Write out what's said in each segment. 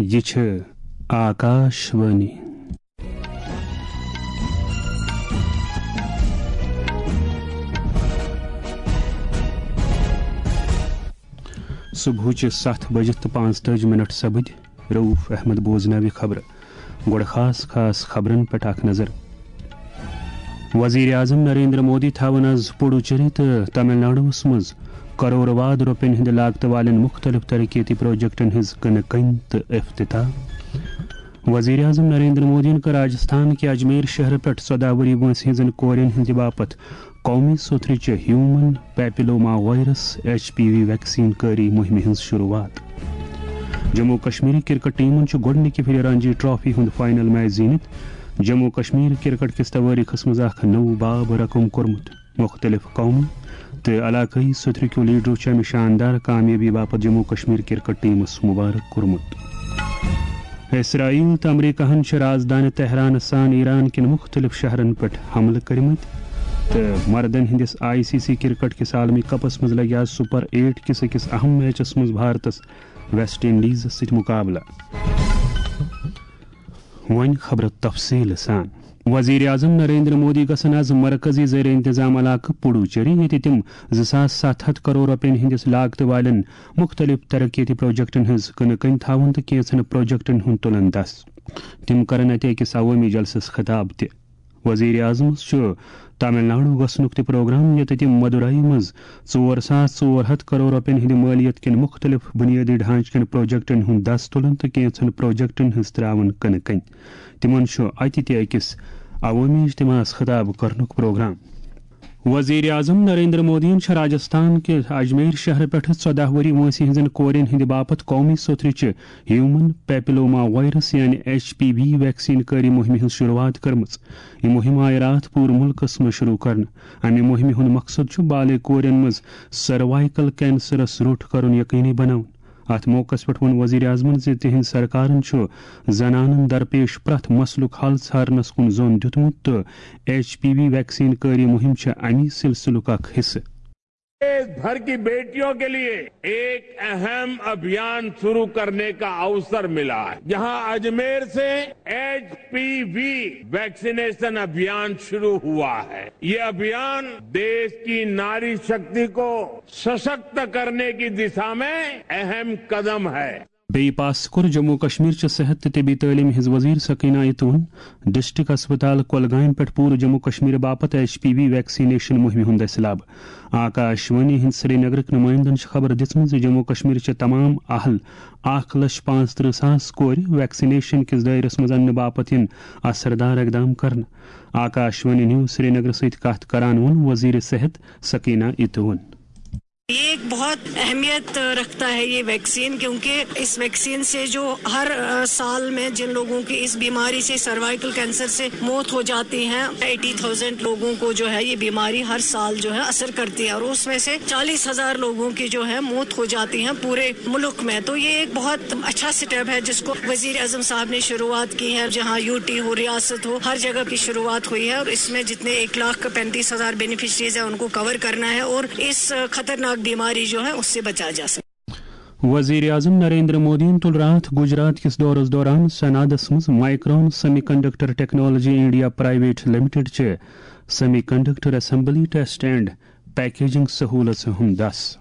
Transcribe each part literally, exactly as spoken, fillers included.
یہِ چھِ آکاش وانی۔ صبحٕچہِ ستھ بجہِ تہٕ پانٛژتٲجی منٹ سپٕدۍ۔ رؤف احمد بوزناوِ خبرٕ۔ گۄڈٕ خاص خاص خبرن پٮ۪ٹھ اکھ نظر۔ وزیر اعظم نریندر مودی تھاوَن از پڈوچیری تہٕ تامل ناڈوَس منٛز کرور واد رۄپین ہٕنٛدِ لاگتہٕ والٮ۪ن مُختٔلِف ترقیتی پروجیکٹن ہٕنٛز کٕنہٕ کٔنۍ تہٕ افتتاح۔ وزیر اعظم نریندر مودیَن کٔر راجستھان کہِ اجمیر شہرٕ پٮ۪ٹھ ژۄداہ ؤری وٲنٛسہِ ہٕنٛزن کورٮ۪ن ہٕنٛدِ باپتھ قومی سوٚتھرٕچہِ human papilloma virus, H P V, vaccine کٲری مُہِمہِ ہٕنٛز شروٗعات۔ جموں کشمیر کرکٹ ٹیمن چھُ گۄڈٕنِکہِ پھِرِ رانجی ٹرافی ہُنٛد فائنل میچ زیٖنِتھ جموں کشمیر کرکٹ کِس توٲریٖخس منٛز اکھ نوٚو باب رقم کوٚرمُت۔ مُختٔلِف قومی تہٕ علاقٲیی سوٚتھرٕکیو لیڈرو چھُ اَمہِ شاندار کامیٲبی باپتھ جموں کشمیر کرکٹ ٹیمس مبارک کوٚرمُت۔ اسرائیل تہٕ امریکہن چھِ رازدانہِ تہرانس سان ایران کٮ۪ن مُختٔلِف شہرن پٮ۪ٹھ حملہٕ کٔرمٕتۍ تہٕ مردن ہٕنٛدِس آئی سی سی کرکٹ کِس عالمی کپس منٛز لگہِ آز سپر ایٹ کِس أکِس اہم میچس منٛز بھارتس ویسٹ انڈیزس سۭتۍ مقابلہٕ۔ وۄنۍ خبرٕ تفصیٖل سان۔ وزیر اعظم نریندر مودی گژھن از مرکزی زیر انتظام علاقہٕ پڈوچیری، ییٚتہِ تِم زٕ ساس ستھ ہتھ کرور رۄپین ہٕنٛدِس لاگتہٕ والٮ۪ن مُختٔلِف ترقیتی پروجیکٹن ہٕنٛز کٕنہٕ کٔنۍ تھاوَن تہٕ کینٛژن پروجیکٹن ہُنٛد تُلن دس۔ تِم کرن اتہِ أکِس عوٲمی جلسس خطاب تہِ۔ وزیر اعظمس چھُ تامل ناڈو گژھنُک تہِ پروگرام، ییٚتہِ تِم مدورائی منٛز ژور ساس ژور ہتھ کرور رۄپین ہٕنٛدِ مٲلیت کٮ۪ن مُختٔلِف بُنیٲدی ڈھانچہٕ کٮ۪ن پروجیکٹن ہُنٛد دس تُلن تہٕ کینٛژن پروجیکٹن ہٕنٛز تراون کٕنہٕ کٔنۍ۔ تِمن چھُ اتہِ تہِ أکِس عوٲمی اجتماعس خطاب کرنُک پروگرام۔ وزیر اعظم نریندر مودیَن چھِ راجستھان کہِ اجمیر شہرٕ پٮ۪ٹھٕ ژۄداہ ؤری وٲنٛسہِ ہٕنٛزن کورٮ۪ن ہٕنٛدِ باپتھ قومی سوٚتھرٕچہِ ہیومن پیپلوما وائرس یعنی ایچ پی وی ویکسین کٲری مُہِمہِ ہٕنٛز شروٗعات کٔرمٕژ۔ یہِ مُہِم آیہِ راتھ پوٗرٕ مُلکَس منٛز شروٗع کرنہٕ۔ اَمہِ مُہِمہِ ہُنٛد مقصد چھُ بالغ کورٮ۪ن منٛز سروائیکل کینسرَس روٚٹ کرُن یقینی بناوُن۔ اَتھ موقعَس پٮ۪ٹھ ووٚن وزیر اعظمَن زِ تِہنٛز سرکارَن چھُ زنانَن درپیش پرٛٮ۪تھ مسلُک حل ژھارنَس کُن زوٚن دیُتمُت تہٕ ایچ پی وی ویکسین کٲری مُہِم چھِ اَمی سلسلُک اکھ حصہٕ۔ देश भर की बेटियों के लिए एक अहम अभियान शुरू करने का अवसर मिला है, जहां अजमेर से एचपीवी वैक्सीनेशन अभियान शुरू हुआ है। ये अभियान देश की नारी शक्ति को सशक्त करने की दिशा में अहम कदम है। بیٚیہِ پاس کوٚر جموں کشمیر چہِ صحت تہٕ طبی تعلیٖم ہٕنٛز وزیر سکینہ اتوَن ڈسٹرکٹ اسپتال کۄلگامہِ پٮ۪ٹھ پوٗرٕ جموں کشمیر باپتھ ایچ پی وی ویکسینیشن مُہِمہِ ہُنٛد دٔسِلاب۔ آکاش وانی ہٕنٛدۍ سرینگرٕکۍ نُمٲیندَن چھِ خبر دِژمٕژ زِ جموں کشمیر چھِ تمام اہل اکھ لچھ پانٛژھ ترٕہ ساس کورِ ویکسینیشن کِس دٲیرَس منٛز اننہٕ باپتھ یِن اثردار اقدام کرنہٕ۔ آکاش وانی نیوز سرینگر سۭتۍ کتھ کران ووٚن وزیر صحت سکینہ اتوَن۔ یہ ایک بہت اہمیت رکھتا ہے یہ ویکسین، کیونکہ اس ویکسین سے جو ہر، آ، سال میں جن لوگوں کی اس بیماری سے، سروائیکل کینسر سے موت ہو جاتی ہیں، ایٹی تھاؤزینڈ لوگوں کو جو ہے یہ بیماری ہر سال جو ہے اثر کرتی ہے اور اس میں سے چالیس ہزار لوگوں کی جو ہے موت ہو جاتی ہیں پورے ملک میں۔ تو یہ ایک بہت اچھا سٹیپ ہے جس کو وزیر اعظم صاحب نے شروعات کی ہے، جہاں یو ٹی ہو، ریاست ہو، ہر جگہ کی شروعات ہوئی ہے اور اس میں جتنے ایک لاکھ پینتیس ہزار بینیفیشریز ہیں ان کو کور کرنا ہے اور اس خطرناک بیماری جو ہے اس سے بچا جا سکے۔ وزیر اعظم نریندر مودیَن تُل راتھ گجرات کِس دورس دوران سنادس منٛز Micron semiconductor technology India private limited چہِ semiconductor assembly test and packaging سہولژ ہُنٛد دس۔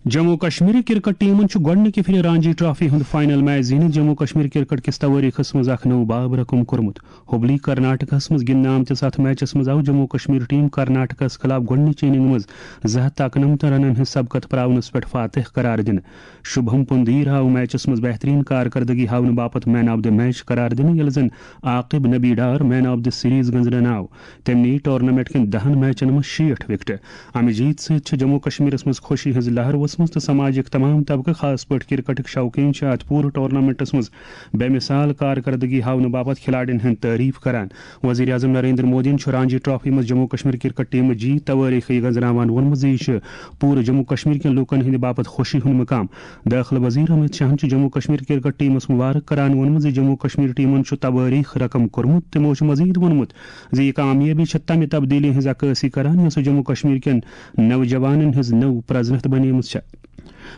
جموں کشمیر کرکٹ ٹیمن چھُ گۄڈٕنِکہِ پھِرِ رانجی ٹرافی ہُنٛد فائنل میچ زیٖنِتھ جموں کشمیر کرکٹ کِس توٲریٖخس منٛز اکھ نوٚو باب رقم کوٚرمُت۔ ہُبلی کرناٹکس منٛز گِنٛدنہٕ آمتِس اتھ میچس منٛز آو جموں کشمیر ٹیم کرناٹکس خلاف گۄڈٕنِچ اننگ منٛز زٕ ہتھ تہٕ اَکنَمتھ رنن ہٕنٛز سبقت پراونس پٮ۪ٹھ فاتح قرار دِنہٕ۔ شُبھم پُندیر آو میچس منٛز بہترین کارکردگی ہاونہٕ باپتھ مین آف دی میچ قرار دِنہٕ، ییٚلہِ زن Aquib Nabi Dar man of the series گٔنٛزراونہٕ آو۔ تٔمۍ نِیہِ ٹورنامنٹ کٮ۪ن دَہن میچن منٛز شیٹھ وکٹہٕ۔ امہِ جیٖتۍ سۭتۍ چھِ جموں کشمیرس منٛز خوشی ہٕنٛز لہر وژھمٕژ تہٕ سماجٕکۍ تمام طبقہٕ، خاص پٲٹھۍ کرکٹٕکۍ شوقیٖن، چھِ اتھ پوٗرٕ ٹورنامنٹس منٛز بے مثال کارکردگی ہاونہٕ باپتھ کھلاڑین ہٕنٛز تعریف کران۔ وزیر اعظم نریندر مودیَن چھُ رانجی ٹرافی منٛز جموں کشمیر کرکٹ ٹیمٕچ جی توٲریٖخی گٔنٛزراوان ووٚنمُت زِ یہِ چھُ پوٗرٕ جموں کشمیر کٮ۪ن لوٗکن ہٕنٛدِ باپتھ خوشی ہُنٛد مقام۔ دٲخلہٕ وزیر امیت شاہن چھُ جموں کشمیر کرکٹ ٹیمس مبارک کران ووٚنمُت زِ جموں کشمیر ٹیمن چھُ توٲریٖخ رقم کوٚرمُت۔ تِمو چھُ مزید ووٚنمُت زِ یہِ کامیٲبی چھےٚ تمہِ تبدیٖلی ہٕنٛز عکٲسی کران، یۄسہٕ جموں کشمیر کٮ۪ن نوجوانن ہٕنٛز نٔو پرزنتھ بنیمٕژ چھےٚ۔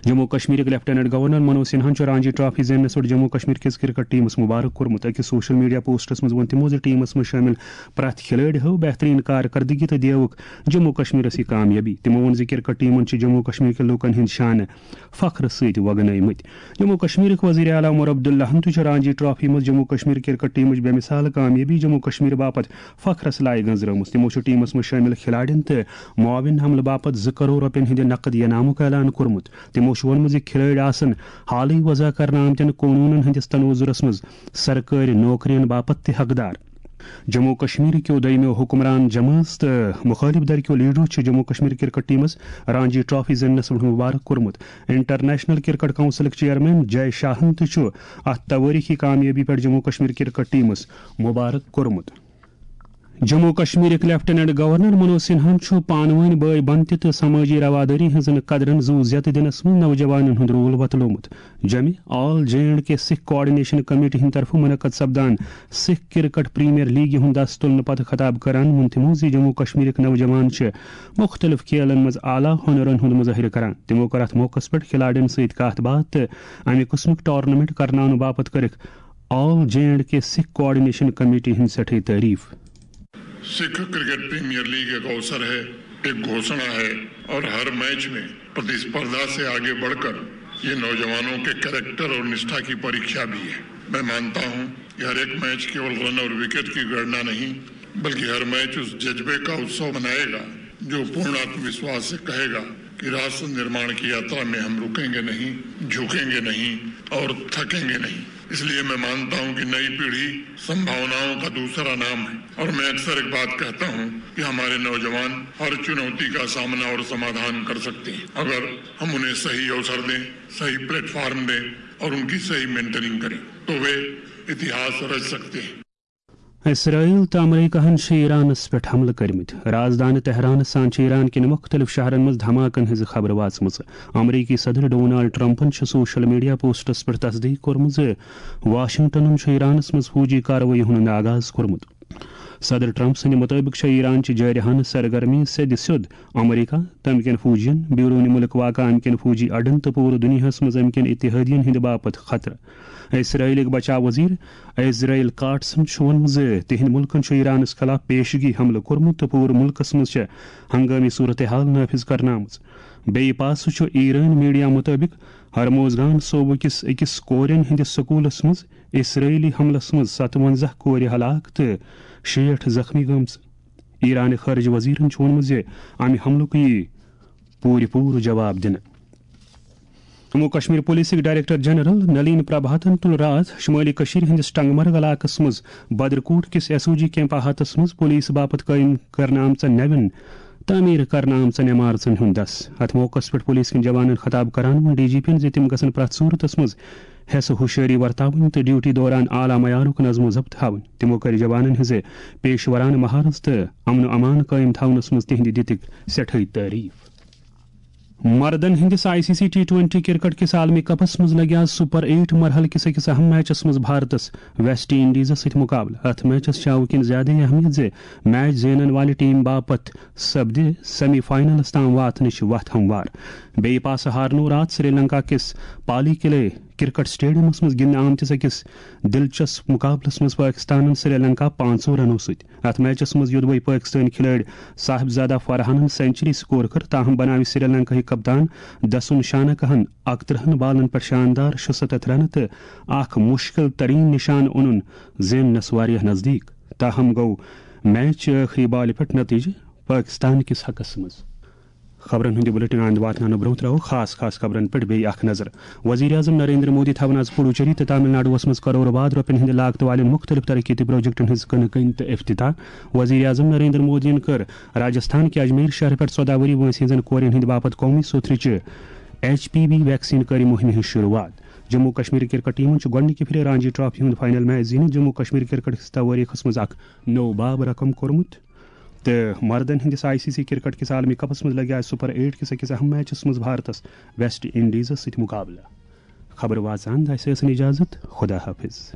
جموں کشمیرٕکۍ لیفٹیننٹ گورنر منوج سنہاہن چھُ رانجی ٹرافی زیننس پٮ۪ٹھ جموں کشمیر کِس کرکٹ ٹیمس مبارک کوٚرمُت۔ أکِس سوشل میڈیا پوسٹس منٛز ووٚن تِمو زِ ٹیمس منٛز شٲمِل پرٛٮ۪تھ کھلٲڑۍ ہٲو بہتریٖن کارکردگی تہٕ دیوُکھ جموں کشمیرس یہِ کامیٲبی۔ تِمو ووٚن زِ کرکٹ ٹیمن چھِ جموں کشمیر کٮ۪ن لوٗکن ہٕنٛدۍ شانہٕ فخرٕ سۭتۍ وۄگنٲومٕتۍ۔ جموں کشمیرٕکۍ وزیر اعلیٰ عمر عبداللہن تہِ چھُ رانجی ٹرافی منٛز جموں کشمیر کرکٹ ٹیمٕچ بے مثال کامیٲبی جموں کشمیر باپتھ فخرس لایق گنزرٲومٕژ۔ تِمو چھُ ٹیمس منٛز شٲمِل کھلاڑٮ۪ن تہٕ معاون عملہٕ باپتھ زٕ کرور رۄپین ہٕنٛدِ نقد انعامُک اعلان کوٚرمُت۔ تِمو چھُ ووٚنمُت زِ کھلٲڑۍ آسن حالٕے وضع کرنہٕ آمتٮ۪ن قونوٗنن ہٕنٛدِس تنوظرس منٛز سرکٲرۍ نوکرین باپتھ تہِ حقدار۔ جموں کشمیر کیو دوٚیمیو حکمران جمٲژ تہٕ مخٲلف دھر کیو لیڈرو چھِ جموں کشمیر کرکٹ ٹیمس رانجی ٹرافی زیننس پٮ۪ٹھ مبارک کوٚرمُت۔ انٹرنیشنل کرکٹ کونسلٕکۍ چیئرمین جے شاہن تہِ چھُ اتھ توٲریخی کامیٲبی پٮ۪ٹھ جموں کشمیر کرکٹ ٹیمس مبارک کوٚرمُت۔ جموں کشمیرٕکۍ لیفٹیننٹ گورنر منوج سنہاہن چھُ پانہٕ وٲنۍ بٲے بنتہِ تہٕ سمٲجی روادٲری ہٕنٛزن قدرن زُو زیتہٕ دِنس منٛز نوجوانن ہُنٛد رول وۄتلوومُت۔ جمہِ all J and K Sikh coordination committee ہٕنٛدِ طرفہٕ منعقد سپدان سکھ کرکٹ پریمیئر لیگہِ ہُنٛد دس تُلنہٕ پتہٕ خطاب کران ووٚن تِمو زِ جموں کشمیرٕکۍ نوجوان چھِ مُختٔلِف کھیلن منٛز اعلیٰ ہُنرن ہُنٛد مظٲہرٕ کران۔ تِمو کٔر اتھ موقعس پٮ۪ٹھ کھلاڑٮ۪ن سۭتۍ کتھ باتھ تہٕ امہِ قٕسمٕک ٹورنامنٹ کرناونہٕ باپتھ کٔرٕکھ all J and K Sikh coordination committee ہٕنٛز سٮ۪ٹھٕے تعریف۔ سکھ کرکٹ پریمیئر لیگ ایک اوسر ہے، ایک گھوشنا ہے اور ہر میچ میں پرتیسپردھا سے آگے بڑھ کر یہ نوجوانوں کے کریکٹر اور نشٹھا کی پریکشا بھی ہے۔ میں مانتا ہوں کہ ہر ایک میچ کیول رن اور وکٹ کی گڑنا نہیں، بلکہ ہر میچ اس جذبے کا اتسو بنائے گا جو پورن آتم وشواس سے کہے گا کہ راشٹر نرماڑ کی یاترا میں ہم رکیں گے نہیں، جھکیں گے نہیں اور تھکیں گے نہیں۔ اس لیے میں مانتا ہوں کہ نئی پیڑھی سمبھاوناؤں کا دوسرا نام ہے اور میں اکثر ایک بات کہتا ہوں کہ ہمارے نوجوان ہر چنوتی کا سامنا اور سمادھان کر سکتے ہیں اگر ہم انہیں صحیح اوسر دیں، صحیح پلیٹ فارم دیں اور ان کی صحیح مینٹرنگ کریں تو وہ اتہاس رچ سکتے ہیں۔ اسرائیل تہٕ امریکہن چھِ ایرانس پٮ۪ٹھ حملہٕ کٔرمٕتۍ۔ رازدانہِ تہرانس سان چھِ ایران کٮ۪ن مُختٔلِف شہرن منٛز دھماکن ہٕنٛز خبرٕ واژمٕژ۔ امریکی صدر ڈونالڈ ٹرمپن چھِ سوشل میڈیا پوسٹس پٮ۪ٹھ تصدیق کوٚرمٕژ زِ واشنگٹنن چھُ ایرانس منٛز فوجی کاروٲیی ہُنٛد آغاز کوٚرمُت۔ صدر ٹرمپ سٕنٛدِ مُطٲبِق چھےٚ ایران چہِ جارحانہٕ سرگرمی سیٚدِ سیوٚد امریکہ تہٕ امہِ کٮ۪ن فوجین، بیروٗنہِ مُلک واقع امہِ کٮ۪ن فوجی اڈن تہٕ پوٗرٕ دُنیاہس منٛز امہِ کٮ۪ن اتحادین ہٕنٛدِ باپتھ خطرٕ۔ اسرائیلٕکۍ بچاو وزیر اسرائیل کاٹسن چھُ ووٚنمُت زِ تِہنٛدِ مُلکن چھُ ایرانس خلاف پیشگی حملہٕ کوٚرمُت تہٕ پوٗرٕ مُلکس منٛز چھےٚ ہنگٲمی صورتحال نافذ کرنہٕ آمٕژ۔ بیٚیہِ پاسہٕ چھُ ایرٲنۍ میڈیا مُطٲبِق ہرموزگان صوبہٕ کِس أکِس کورٮ۪ن ہٕنٛدِس سکوٗلس منٛز اسرائیلی حملس منٛز ستوَنزاہ کورِ ہلاک تہٕ شیٹھ زخمی گٔمژٕ۔ ایرانہِ خارجہ وزیرن چھُ ووٚنمُت زِ امہِ حملُک یِیہِ پوٗرٕ پوٗرٕ جواب دِنہٕ۔ جموں کشمیر پولیسٕکۍ ڈائریکٹر جنرل نلین پربھاتن تُل راتھ شمٲلی کٔشیٖرِ ہٕنٛدِس ٹنگمرگ علاقس منٛز بدرکوٹ کِس ایس او جی کیمپ احاطس منٛز پولیس باپتھ قٲیِم کرنہٕ آمژن نوٮ۪ن تعمیٖر کرنہٕ آمژن عمارژن ہُنٛد دس۔ اتھ موقعس پٮ۪ٹھ پولیس کٮ۪ن جوانن خطاب کران ووٚن ڈی جی پی ین زِ تِم گژھن پرٛٮ۪تھ صوٗرتس منٛز حیث ہوشیٲری ورتاوٕنۍ تہٕ ڈیوٹی دوران اعلیٰ معیارُک نظم و ضبط تھاوٕنۍ۔ تِمو کٔرۍ جوانن ہٕنٛزِ پیشورانہٕ مہارت تہٕ امن و امان قٲیِم تھاونس منٛز تِہنٛدِ دِتٕکۍ سٮ۪ٹھٕے تعریف۔ مردن ہٕنٛدِس I C C T twenty cricket کِس عالمی کپس منٛز لگہِ آز سپر ایٹ مرحلہٕ کِس أکِس اہم میچس منٛز بھارتس ویسٹ انڈیزس سۭتۍ مقابلہٕ۔ اتھ میچس چھِ اوٕ کِنۍ زیادٕ اہمیت زِ میچ زینن والہِ ٹیم باپتھ سپدِ سیمی فائنلس تام واتنٕچ وتھ ہموار۔ بیٚیہِ پاسہٕ ہارنوو راتھ سری لنکا کِس پالی کلے کرکٹ سٹیڈیمس منٛز گِنٛدنہٕ آمتِس أکِس دلچسپ مقابلس منٛز پٲکستانن سری لنکا پانٛژو رنو سۭتۍ۔ اتھ میچس منٛز یوٚدوے پٲکستٲنۍ کھلٲڑۍ صاحبزادہ فرحانن سینچری سکور کٔر، تاہم بناوِ سری لنکاہٕکۍ کپتان دسون شانکاہن اکترٕہن بالن پٮ۪ٹھ شاندار شُستتھ رنہٕ تہٕ اکھ مشکل ترین نشانہٕ اونُن زیننس واریاہ نزدیک۔ تاہم گوٚو میچ چہِ ٲخری بالہِ پٮ۪ٹھ نتیجہٕ پٲکستان کِس حقس منٛز۔ خبرن ہُنٛد یہِ بلیٹن آند واتناونہٕ برٛونٛہہ ترٛاوو خاص خاص خبرن پٮ۪ٹھ بیٚیہِ اکھ نظر۔ وزیر اعظم نریندر مودی تھاوَن آز پڈوچیری تہٕ تامل ناڈوَس منٛز کرور واد رۄپین ہٕنٛدِ لاگتہٕ والٮ۪ن مُختٔلِف ترقیتی پروجیکٹن ہٕنٛز کٕنہٕ کٲنی تہٕ افتتاح۔ وزیر اعظم نریندر مودیَن کٔر راجستھان کہِ اجمیر شہرٕ پٮ۪ٹھ ژۄداہ ؤری وٲنٛسہِ ہٕنٛزن کورٮ۪ن ہٕنٛدِ باپتھ قومی سوتھرٕچہِ ایچ پی وی ویکسین کٲری مُہِمہِ ہٕنٛز شروٗعات۔ جموں کشمیر کرکٹ ٹیمن چھُ گۄڈٕنِکہِ پھِرِ رانجی ٹرافی ہُنٛد فائنل میچ زیٖنِتھ جموں کشمیر کرکٹ کِس توٲریٖخس منٛز اکھ نوٚو باب رقم کوٚرمُت۔ تہٕ مردن ہٕنٛدِس آئی سی سی کرکٹ کِس عالمی کپس منٛز لگہِ آز سپر ایٹ کِس أکِس اہم میچس منٛز بھارتس ویسٹ انڈیزس سۭتۍ مقابلہٕ۔ خبرٕ واژان داسہِ ٲسٕن اجازت، خدا حافظ۔